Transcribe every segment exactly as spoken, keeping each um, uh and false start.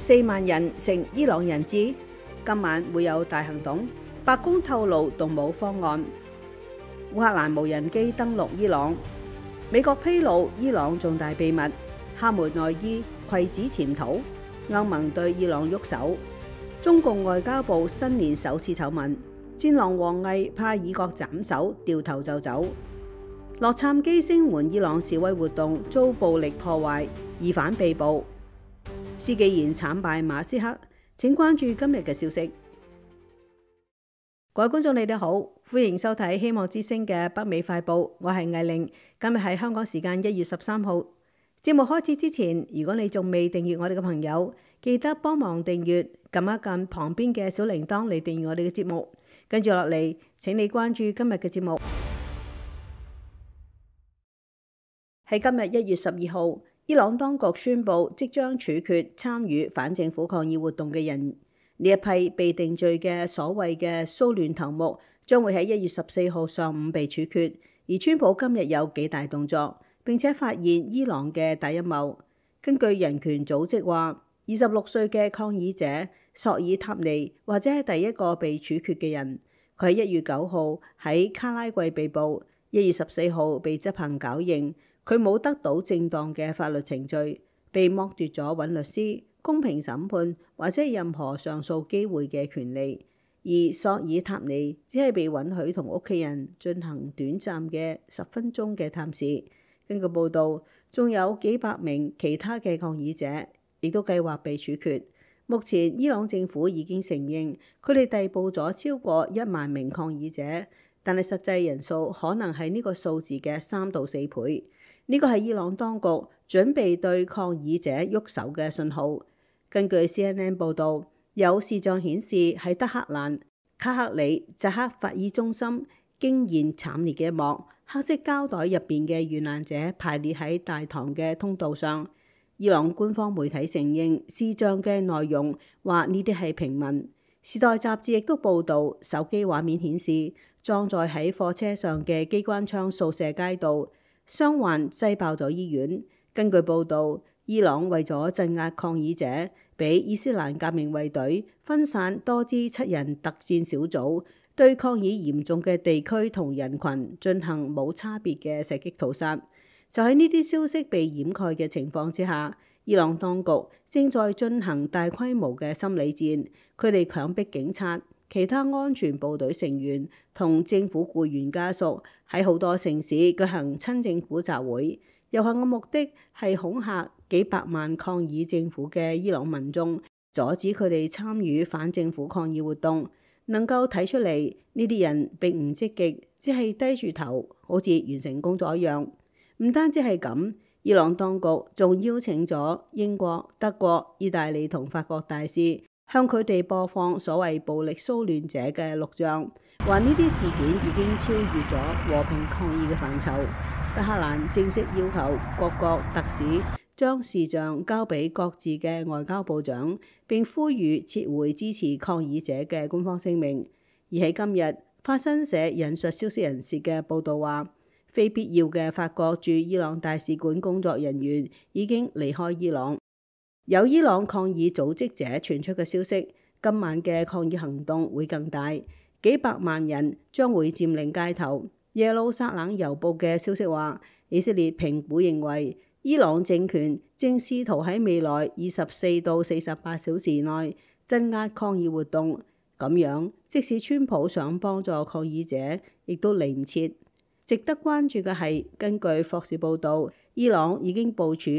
四萬人成伊朗人質，今晚會有大行動。白宮透露動武方案。烏克蘭無人機登陸伊朗。美國披露伊朗重大秘密。哈梅內伊攜子潛逃。歐盟對伊朗喐手。中共外交部新年首次醜聞。戰狼王毅怕以國斬首，掉頭就走。洛杉磯聲援伊朗示威活動遭暴力破壞，疑犯被捕。施紀賢慘敗馬斯克。請關注今日嘅消息。各位觀眾你哋好，歡迎收睇希望之聲嘅北美快報，我係藝玲。今日係香港時間一月十三號。節目開始之前，如果你仲未訂閱我哋嘅朋友，記得幫忙訂閱，撳一撳旁邊嘅小鈴鐺嚟訂閱我哋嘅節目。跟住落嚟，請你關注今日嘅節目。喺今日一月十二號，伊朗當局宣布即將處決參與反政府抗議活動嘅人。呢一批被定罪嘅所謂嘅騷亂頭目，將會喺一月十四號上午被處決。而川普今日有幾大動作，並且發現伊朗嘅大陰謀。根據人權組織話，二十六歲嘅抗議者索爾塔尼或者係第一個被處決嘅人。佢喺一月九號喺卡拉季被捕，一月十四號被執行絞刑。佢冇得到正當嘅法律程序，被剝奪咗揾律師、公平審判或者任何上訴機會嘅權利。而索爾塔尼只係被允許同屋企人進行短暫嘅十分鐘嘅探視。根據報導，仲有幾百名其他嘅抗議者亦都計劃被處決。目前伊朗政府已經承認佢哋逮捕咗超過一萬名抗議者，但係實際人數可能係呢個數字嘅三到四倍。呢個係伊朗當局準備對抗議者喐手嘅信號。根據 C N N 報導，有視像顯示喺德黑蘭卡克里扎克法爾中心驚現慘烈嘅一幕，黑色膠袋入邊嘅遇難者排列喺大堂嘅通道上。伊朗官方媒體承認視像嘅內容，話呢啲係平民。時代雜誌亦都報導，手機畫面顯示裝載喺貨車上嘅機關槍掃射街道。傷患擠爆咗醫院。根據報導，伊朗為咗鎮壓抗議者，俾伊斯蘭革命衛隊分散多支七人特戰小組，對抗議嚴重嘅地區同人群進行冇差別嘅射擊屠殺。就喺呢啲消息被掩蓋嘅情況之下，伊朗當局正在進行大規模嘅心理戰，佢哋強迫警察、其他安全部隊成員同政府僱員家屬喺好多城市舉行親政府集會，遊行嘅目的係恐嚇幾百萬抗議政府嘅伊朗民眾，阻止佢哋參與反政府抗議活動。能夠睇出嚟，呢啲人並唔積極，只係低住頭，好似完成工作一樣。唔單止係咁，伊朗當局仲邀請咗英國、德國、意大利同法國大使，向佢哋播放所謂暴力騷亂者嘅錄像，話呢啲事件已經超越咗和平抗議嘅範疇。德黑蘭正式要求各國特使將視像交俾各自嘅外交部長，並呼籲撤回支持抗議者嘅官方聲明。而喺今日，法新社引述消息人士嘅報導話，非必要嘅法國駐伊朗大使館工作人員已經離開伊朗。有伊朗抗議組織者傳出嘅消息，今晚嘅抗議行動會更大，幾百萬人將會佔領街頭。耶路撒冷郵報嘅消息話，以色列評估認為伊朗政權正試圖喺未來二十四到四十八小時內鎮壓抗議活動，咁樣即使川普想幫助抗議者，亦都嚟唔切。值得關注嘅係，根據霍士報導，伊朗已經部署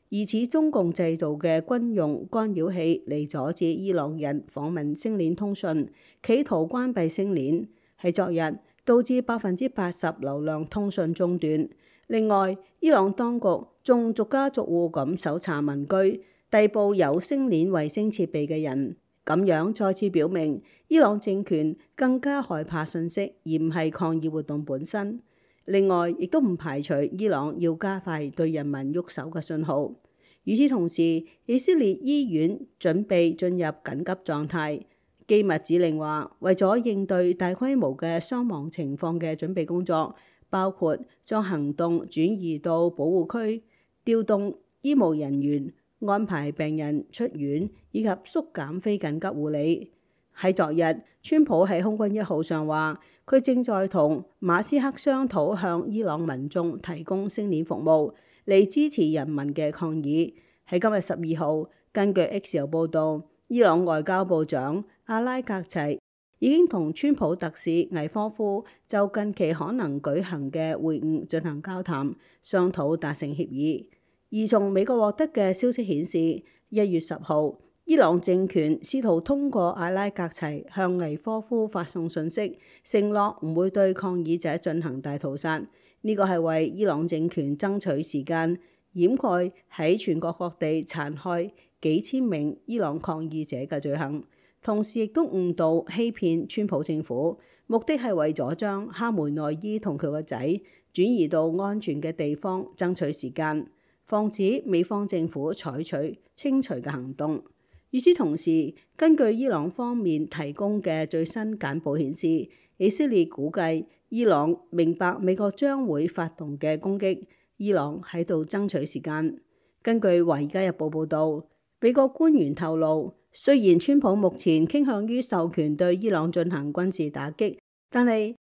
疑似中共製造嘅軍用干擾器嚟阻止伊朗人訪問星鏈通訊，企圖關閉星鏈。喺昨日導致百分之八十流量通訊中斷。另外，伊朗當局仲逐家逐戶咁搜查民居，逮捕有星鏈衛星設備嘅人。咁樣再次表明，伊朗政權更加害怕信息，而唔係抗議活動本身。另外，亦都唔排除伊朗要加快對人民喐手嘅信號。與此同時，以色列醫院準備進入緊急狀態。機密指令話，為咗應對大規模嘅傷亡情況嘅準備工作，包括將行動轉移到保護區、調動醫務人員、安排病人出院以及縮減非緊急護理。喺昨日，川普喺空軍一號上話，佢正在同馬斯克商討向伊朗民眾提供星鏈服務，嚟支持人民嘅抗議。喺今日十二號，根據 X 有報道，伊朗外交部長阿拉格齊已經同川普特使魏科夫就近期可能舉行嘅會晤進行交談，商討達成協議。而從美國獲得嘅消息顯示，一月十號，伊朗政權試圖通過阿拉格齊向魏科夫發送信息，承諾唔會對抗議者進行大屠殺。呢個係為伊朗政權爭取時間，掩蓋喺全國各地殘害幾千名伊朗抗議者嘅罪行，同時亦都誤導欺騙川普政府，目的係為咗將哈梅內伊同佢個仔轉移到安全嘅地方，爭取時間，防止美方政府採取清除嘅行動。與此同時，根據伊朗方面提供嘅最新簡報顯示，以色列估計伊朗明白美國將會發動嘅攻擊，伊朗喺度爭取時間。根據《華爾街日報》報導，美國官員透露，雖然川普目前傾向於授權對伊朗進行軍事打擊，但係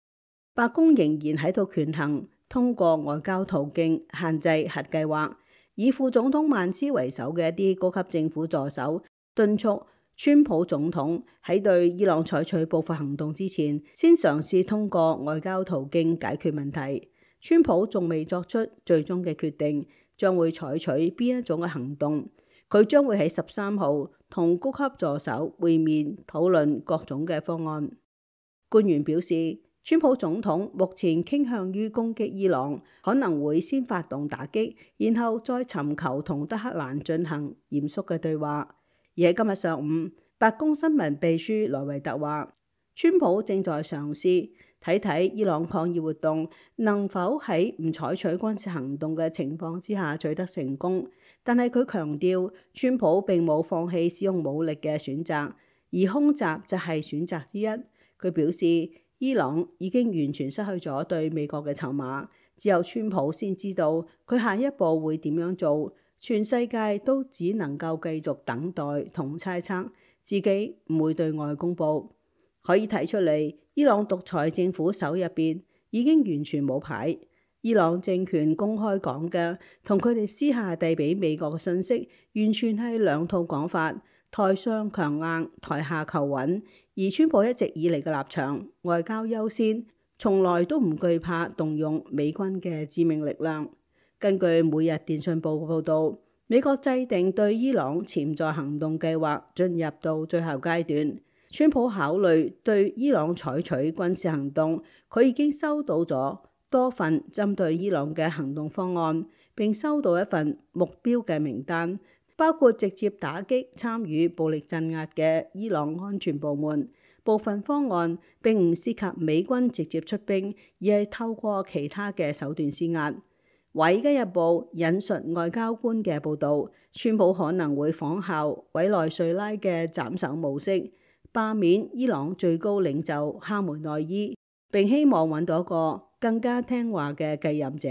白宮仍然喺度權衡通過外交途徑限制核計劃。以副總統曼斯為首嘅一啲高級政府助手敦促川普總統喺對伊朗採取報復行動之前，先嘗試通過外交途徑解決問題。川普仲未作出最終嘅決定，將會採取邊一種嘅行動。佢將會喺十三號同高級助手會面，討論各種嘅方案。官員表示，川普總統目前傾向於攻擊伊朗，可能會先發動打擊，然後再尋求同德黑蘭進行嚴肅嘅對話。而喺今日上午，白宮新聞秘書萊維特話，川普正在嘗試睇睇伊朗抗議活動能否喺唔採取軍事行動嘅情況之下取得成功，但係佢強調，川普並冇放棄使用武力嘅選擇，而空襲就係選擇之一。佢表示，伊朗已經完全失去咗對美國嘅籌碼，只有川普先知道佢下一步會點樣做。全世界都只能夠繼續等待同猜測，自己唔會對外公佈。可以睇出嚟，伊朗獨裁政府手入邊已經完全冇牌。伊朗政權公開講嘅同佢哋私下遞俾美國嘅信息，完全係兩套講法，台上強硬，台下求穩。而川普一直以嚟嘅立場，外交優先，從來都唔懼怕動用美軍嘅致命力量。根據每日電訊報報導，美國制定對伊朗潛在行動計劃進入到最後階段。川普考慮對伊朗採取軍事行動，佢已經收到咗多份針對伊朗嘅行動方案，並收到一份目標嘅名單，包括直接打擊參與暴力鎮壓嘅伊朗安全部門。部分方案並唔涉及美軍直接出兵，而係透過其他嘅手段施壓。《華爾街日報》引述外交官嘅報導，川普可能會仿效委內瑞拉嘅斬首模式，罷免伊朗最高領袖哈梅內伊，並希望揾到一個更加聽話嘅繼任者，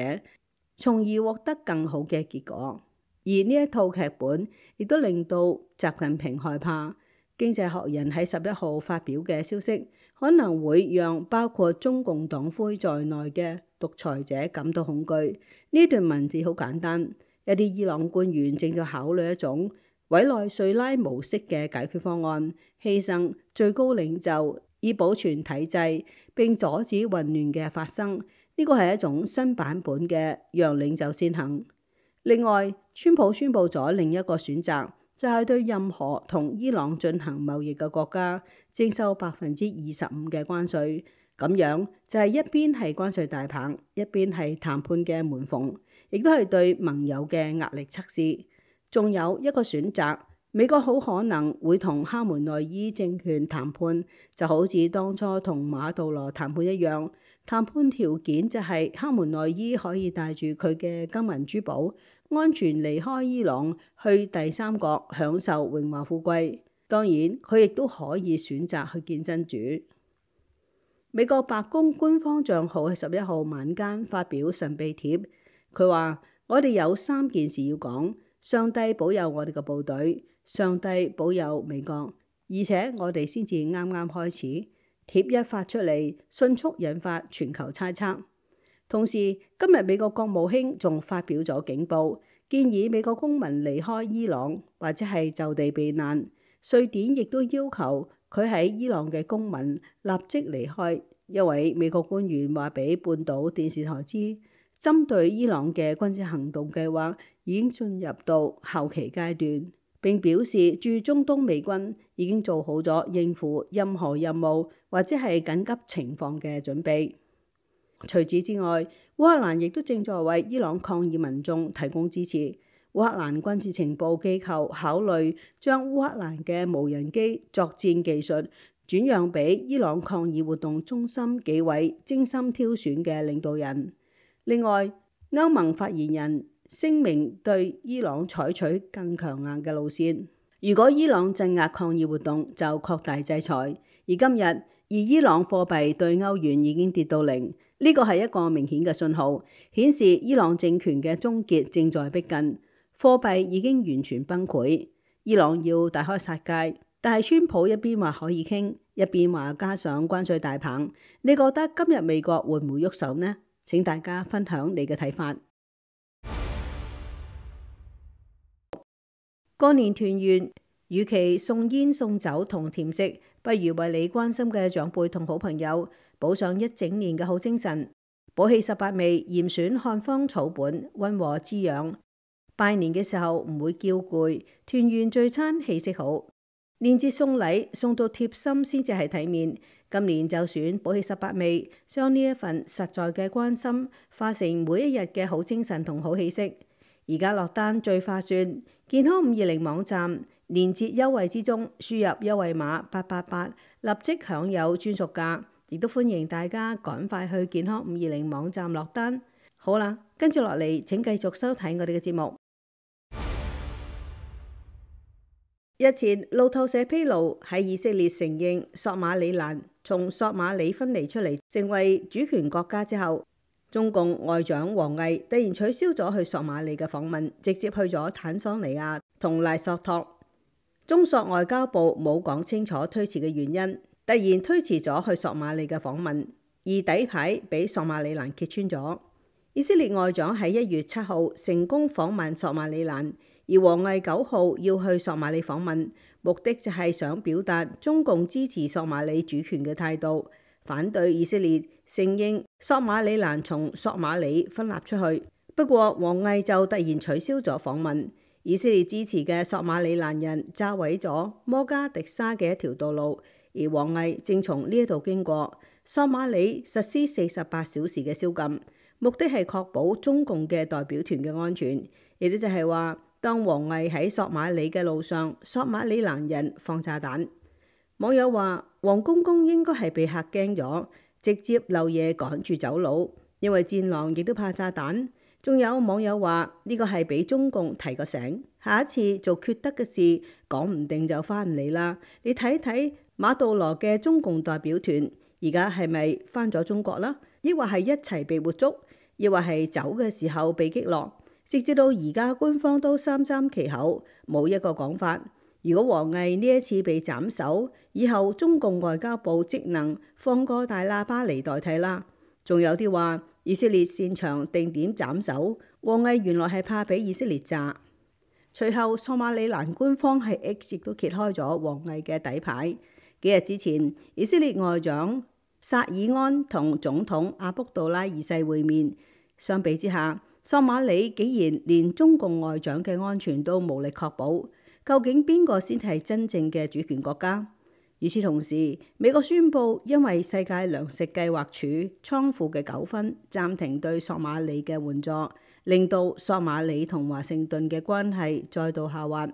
從而獲得更好嘅結果。而呢一套劇本亦都令到習近平害怕。經濟學人喺十一號發表嘅消息，可能會讓包括中共黨魁在內嘅獨裁者感到恐懼。呢段文字好簡單，一啲伊朗官員正在考慮一種委內瑞拉模式嘅解決方案，犧牲最高領袖以保存體制並阻止混亂嘅發生。呢個係一種新版本嘅讓領袖先行。另外，川普宣布咗另一個選擇，就係對任何同伊朗進行貿易嘅國家徵收百分之二十五嘅關稅。咁樣就係一邊係關稅大棒，一邊係談判嘅門縫，亦都係對盟友嘅壓力測試。仲有一個選擇，美國好可能會同哈梅內伊政權談判，就好似當初同馬杜羅談判一樣。談判條件就係哈梅內伊可以帶住佢嘅金銀珠寶，安全離開伊朗，去第三國享受榮華富貴。當然，佢亦都可以選擇去見真主。美國白宮官方帳號喺十一號晚間發表神秘帖，佢話：我哋有三件事要講。上帝保佑我哋嘅部隊，上帝保佑美國。而且我哋先至啱啱開始，貼一發出嚟，迅速引發全球猜測。同時，今日美國國務卿仲發表咗警報，建議美國公民離開伊朗或者係就地避難。瑞典亦都要求佢喺伊朗嘅公民立即離開。一位美國官員話俾半島電視台知，針對伊朗嘅軍事行動計劃已經進入到後期階段，並表示駐中東美軍已經做好咗應付任何任務或者係緊急情況嘅準備。除此之外，烏克蘭亦都正在為伊朗抗議民眾提供支持。烏克蘭軍事情報機構考慮將烏克蘭嘅無人機作戰技術轉讓俾伊朗抗議活動中心幾位精心挑選嘅領導人。另外，歐盟發言人聲明對伊朗採取更強硬嘅路線。如果伊朗鎮壓抗議活動，就擴大制裁。而今日，而伊朗貨幣對歐元已經跌到零。呢個係一個明顯嘅信號，顯示伊朗政權嘅終結正在逼近，貨幣已經完全崩潰。伊朗要大開殺戒，但係川普一邊話可以傾，一邊話加上關稅大棒。你覺得今日美國會唔會喐手呢？請大家分享你嘅睇法。過年團圓，與其送煙送酒同甜食，不如為你關心嘅長輩同好朋友補上一整年嘅好精神。寶氣十八味嚴選漢方草本，溫和滋養。拜年嘅時候唔會叫攰，團圓聚餐氣息好。年節送禮送到貼心先至係體面。今年就選寶氣十八味，將呢一份實在嘅關心化成每一日嘅好精神同好氣息。而家落單最划算，健康五二零網站年節優惠之中，輸入優惠碼八八八，立即享有專屬價。亦都歡迎大家趕快去健康五二零網站落單。好啦，跟住落嚟，請繼續收睇我哋嘅節目。日前路透社披露，喺以色列承認索馬里蘭從索馬里分離出嚟成為主權國家之後，中共外長王毅突然取消咗去索馬里嘅訪問，直接去咗坦桑尼亞同賴索托。中索外交部冇講清楚推遲嘅原因，突然推遲咗去索馬里嘅訪問，而底牌俾索馬里蘭揭穿咗。以色列外長喺一月七號成功訪問索馬里蘭。而王毅九號要去索馬里訪問，目的就係想表達中共支持索馬里主權嘅態度，反對以色列承認索馬里蘭從索馬里分立出去。不過王毅就突然取消咗訪問。以色列支持嘅索馬里蘭人炸毀咗摩加迪沙嘅一條道路，而王毅正從呢一度經過。索馬里實施四十八小時嘅宵禁，目的係確保中共嘅代表團嘅安全，亦都就係話，當王毅喺索馬里嘅路上，索馬里蘭人放炸彈。網友話王公公應該係被嚇驚咗，直接漏夜趕住走佬，因為戰狼亦都怕炸彈。仲有網友話呢個係俾中共提個醒，下一次做缺德嘅事，講唔定就翻唔嚟啦。你睇睇馬杜羅嘅中共代表團，而家係咪翻咗中國啦？抑或係一齊被活捉，抑或係走嘅時候被擊落？直至到而家，官方都三緘其口，冇一個講法。如果王毅呢一次被斬首，以後中共外交部職能放個大喇叭嚟代替啦。仲有啲話以色列擅長定點斬首，王毅原來係怕俾以色列炸。隨後索馬里蘭官方喺 X 亦都揭開咗王毅嘅底牌。幾日之前，以色列外長薩爾安同總統阿卜杜拉二世會面，相比之下，索馬里竟然連中共外長嘅安全都無力確保，究竟邊個先係真正嘅主權國家？與此同時，美國宣布因為世界糧食計劃署倉庫嘅糾紛，暫停對索馬里嘅援助，令到索馬里同華盛頓嘅關係再度下滑。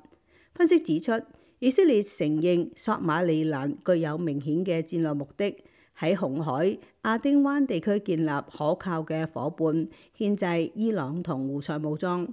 分析指出，以色列承認索馬里蘭具有明顯嘅戰略目的，喺紅海、亞丁灣地區建立可靠嘅夥伴，牽制伊朗同胡塞武裝。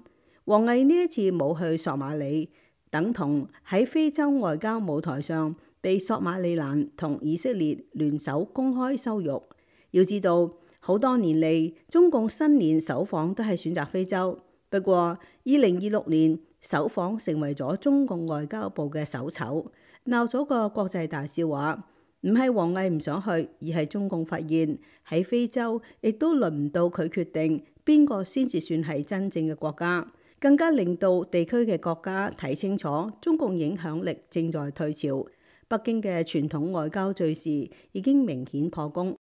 王毅呢一次冇去索馬里，等同喺非洲外交舞台上被索馬里蘭同以色列聯手公開羞辱。要知道，好多年嚟，中共新年首訪都係選擇非洲。不過，二零二六年首訪成為咗中共外交部嘅首醜，鬧咗個國際大笑話。唔係王毅唔想去，而係中共發現喺非洲亦都輪唔到佢決定邊個先至算係真正嘅國家，更加令到地區嘅國家睇清楚中共影響力正在退潮，北京嘅傳統外交敘事已經明顯破功。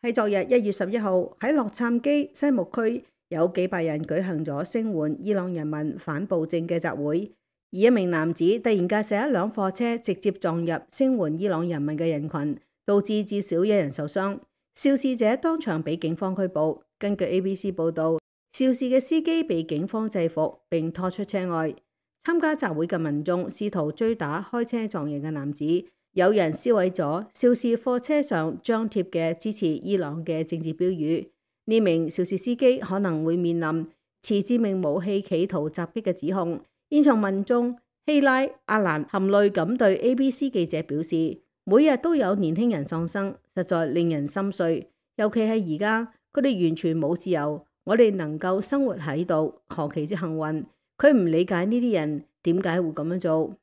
喺昨日一月十一號喺洛杉磯西木區有幾百人舉行咗聲援伊朗人民反暴政嘅集會。而一名男子突然駕駛一輛貨車直接撞入聲援伊朗人民嘅人群，導致至少一人受傷。肇事者當場被警方拘捕。根據 A B C 報道，肇事嘅司機被警方制服並拖出車外。參加集會嘅民眾試圖追打開車撞人嘅男子，有人燒毀咗肇事貨車上張貼嘅支持伊朗嘅政治標語。呢名肇事司機可能會面臨持致命武器企圖襲擊嘅指控。現場民眾希拉阿蘭含淚咁對 A B C 記者表示，每日都有年輕人喪生，實在令人心碎。尤其係而家，佢哋完全冇自由，我哋能夠生活喺度，何其之幸運。佢唔理解呢啲人點解會咁樣做。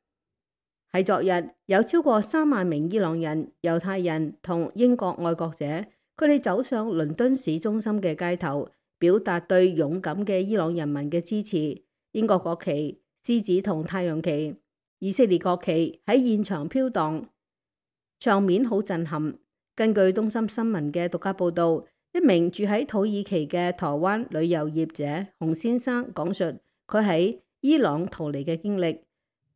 喺昨日，有超過三萬名伊朗人、猶太人同英國愛國者，佢哋走上倫敦市中心嘅街頭，表達對勇敢嘅伊朗人民嘅支持。英國國旗、獅子同太陽旗、以色列國旗喺現場飄蕩，場面好震撼。根據東森新聞嘅獨家報道，一名住喺土耳其嘅台灣旅遊業者洪先生講述佢喺伊朗逃離嘅經歷。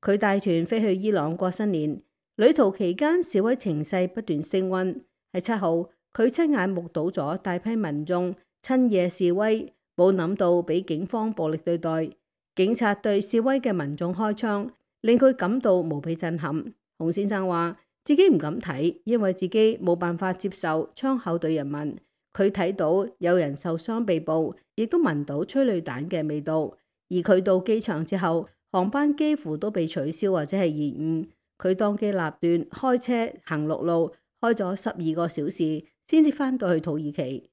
佢帶團飛去伊朗過新年，旅途期間示威情勢不斷升溫。喺七號，佢親眼目睹咗大批民眾趁夜示威，冇諗到俾警方暴力對待。警察對示威嘅民眾開槍，令佢感到無比震撼。洪先生話自己唔敢睇，因為自己冇辦法接受槍口對人民。佢睇到有人受傷被捕，亦都聞到催淚彈嘅味道。而佢到機場之後，航班幾乎都被取消或者係延誤。佢當機立斷開車行陸路，開咗十二個小時，先至返到去土耳其。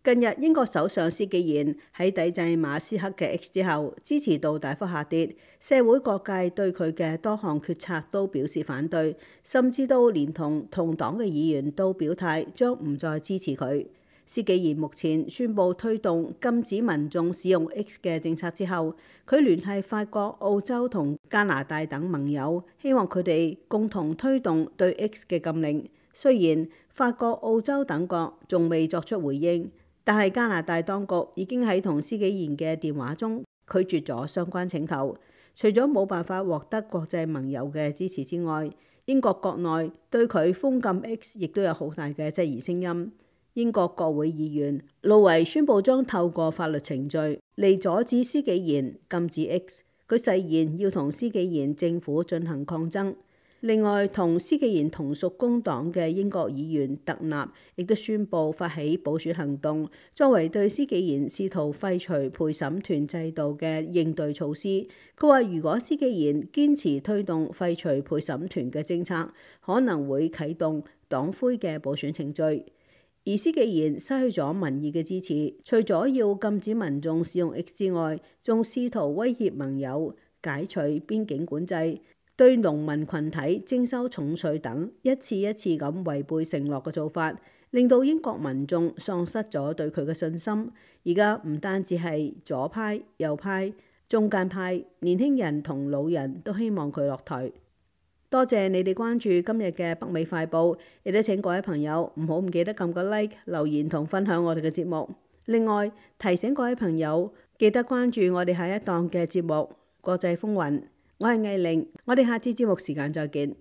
近日，英國首相施紀賢喺抵制馬斯克嘅 X 之後，支持度大幅下跌，社會各界對佢嘅多項決策都表示反對，甚至都連同同黨嘅議員都表態將唔再支持佢。施紀賢目前宣布推動禁止民眾使用 X 嘅政策之後，佢聯繫法國、澳洲同加拿大等盟友，希望佢哋共同推動對 X 嘅禁令。雖然法國、澳洲等國仲未作出回應，但係加拿大當局已經喺同施紀賢嘅電話中拒絕咗相關請求。除咗冇辦法獲得國際盟友嘅支持之外，英國國內對佢封禁 X 亦都有好大嘅質疑聲音。英國國會議員路維宣布將透過法律程序嚟阻止施紀賢禁止 X。佢誓言要同施紀賢政府進行抗爭。另外，同施紀賢同屬工黨嘅英國議員特納亦都宣布發起補選行動，作為對施紀賢試圖廢除陪審團制度嘅應對措施。佢話如果施紀賢堅持推動廢除陪審團嘅政策，可能會啟動黨魁嘅補選程序。而施紀賢失去咗民意嘅支持，除咗要禁止民眾使用 X 之外，仲試圖威脅盟友解除邊境管制，對農民群體徵收重稅等，一次一次咁違背承諾嘅做法，令到英國民眾喪失咗對佢嘅信心。而家唔單止係左派、右派、中間派，年輕人同老人都希望佢落台。多謝你哋關注今日嘅北美快報，亦都請各位朋友唔好唔記得撳個 like、留言同分享我哋嘅節目。另外提醒各位朋友記得關注我哋下一檔嘅節目《國際風雲》。我係藝玲，我哋下次節目時間再見。